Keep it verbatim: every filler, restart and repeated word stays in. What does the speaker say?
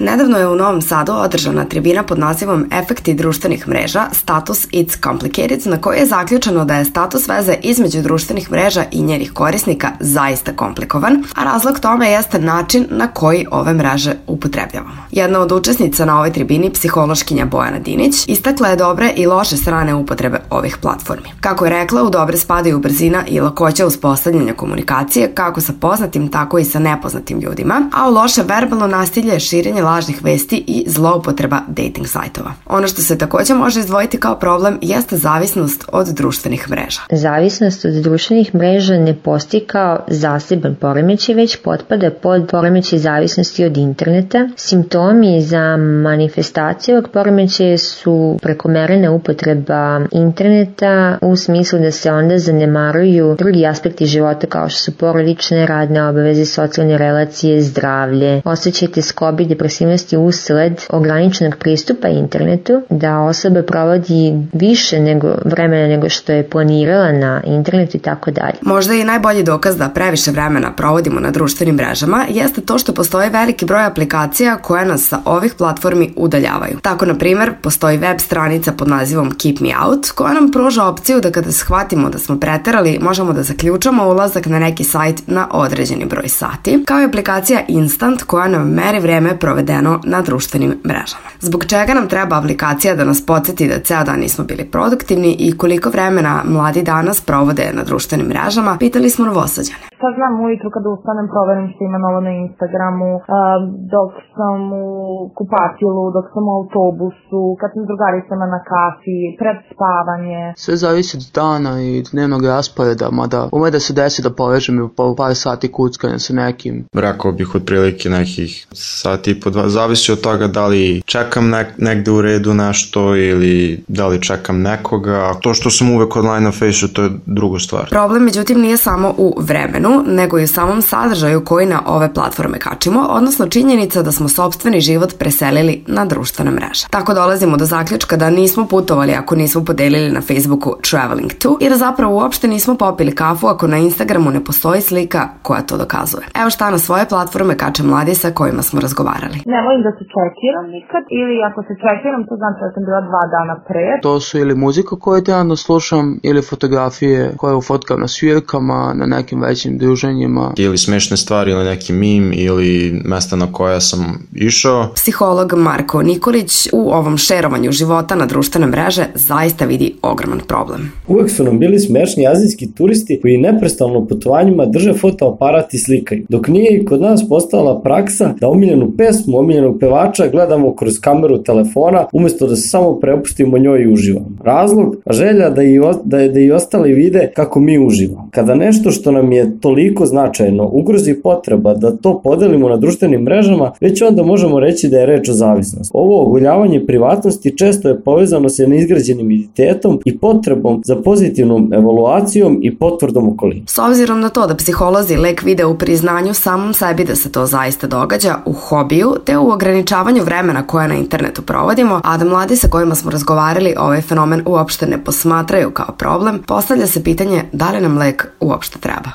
Nedavno je u Novom Sadu održana tribina pod nazivom Efekti društvenih mreža, status It's Complicated, na kojoj je zaključeno da je status veze između društvenih mreža i njenih korisnika zaista komplikovan, a razlog tome jeste način na koji ove mreže upotrebljavamo. Jedna od učesnica na ovoj tribini, psihološkinja Bojana Dinić, istakla je dobre i loše strane upotrebe ovih platformi. Kako je rekla, u dobre spadaju brzina i lakoća uspostavljanja komunikacije kako sa poznatim, tako i sa nepoznatim ljudima, a u loše verbalno nasilje, širenje lažnih vesti i zloupotreba dating sajtova. Ono što se također može izdvojiti kao problem jeste zavisnost od društvenih mreža. Zavisnost od društvenih mreža ne postoji kao zaseban poremećaj, već potpada pod poremećaj zavisnosti od interneta. Simptomi za manifestaciju ovog poremećaja su prekomerna upotreba interneta u smislu da se onda zanemaruju drugi aspekti života kao što su porodične, radne obaveze, socijalne relacije, zdravlje. Osjećaj teskobe i depresivnosti usled ograničenog pristupa internetu, da osoba provodi više nego vremena nego što je planirala na internetu i tako dalje. Možda i najbolji dokaz da previše vremena provodimo na društvenim mrežama jeste to što postoji veliki broj aplikacija koje nas sa ovih platformi udaljavaju. Tako, na primjer, postoji web stranica pod nazivom Keep Me Out koja nam pruža opciju da kada shvatimo da smo preterali, možemo da zaključamo ulazak na neki sajt na određeni broj sati, kao i aplikacija Instant koja nam meri vreme provedeno na društvenim mrežama. Zbog čega nam treba aplikacija da nas podsjeti da ceo dan nismo bili produktivni i koliko vremena mladi danas provode na društvenim mrežama, pitali smo Novosađane. Sad znam ujutru kada ustanem proverim što ima novo na Instagramu, dok sam u kupatilu, dok sam u autobusu, kad sam s drugaricama na kafi, pred spavanje. Sve zavisi od dana i dnevnog rasporeda, mada ume da se desi da povežem i po par sati kuckanja sa nekim. Rekao bih otprilike nekih sati i po dva, zavisi od toga da li čekam nek, negde u redu nešto ili da li čekam nekoga. To što sam uvek online na Facebooku, to je druga stvar. Problem, međutim, nije samo u vremenu, nego i u samom sadržaju koji na ove platforme kačimo, odnosno činjenica da smo sopstveni život preselili na društvene mreže. Tako dolazimo do zaključka da nismo putovali ako nismo podelili na Facebooku traveling to i da zapravo uopšte nismo popili kafu ako na Instagramu ne postoji slika koja to dokazuje. Evo šta na svoje platforme kače mladi sa kojima smo razgovarali. Ne volim da se čekiram nikad, ili ako se čekiram to znači da sam bila dva dana pre. To su ili muzika koju trenutno slušam ili fotografije koje ufotkam na svirkama, na nekim većim druženjima. Ili smešne stvari ili neki mim ili mesta na koja sam išao. Psiholog Marko Nikolić u ovom šerovanju života na društvene mreže zaista vidi ogroman problem. Uvek su nam bili smešni azijski turisti koji neprestano u putovanjima drže fotoaparat i slikaju, dok nije i kod nas postala praksa da omiljenu pesmu, omiljenog pevača gledamo kroz kameru telefona umjesto da se samo prepustimo njoj i uživamo. Razlog, želja da i, o, da, da i ostali vide kako mi uživamo. Kada nešto što nam je toliko značajno ugrozi potreba da to podelimo na društvenim mrežama, već onda možemo reći da je reč o zavisnosti. Ovo oguljavanje privatnosti često je povezano sa neizgrađenim identitetom i potrebom za pozitivnom evaluacijom i potvrdom okolina. S obzirom na to da psiholozi lek vide u priznanju samom sebi da se to zaista događa, u hobiju, te u ograničavanju vremena koje na internetu provodimo, a da mladi sa kojima smo razgovarali ovaj fenomen uopšte ne posmatraju kao problem, postavlja se pitanje da li nam lek uopšte treba.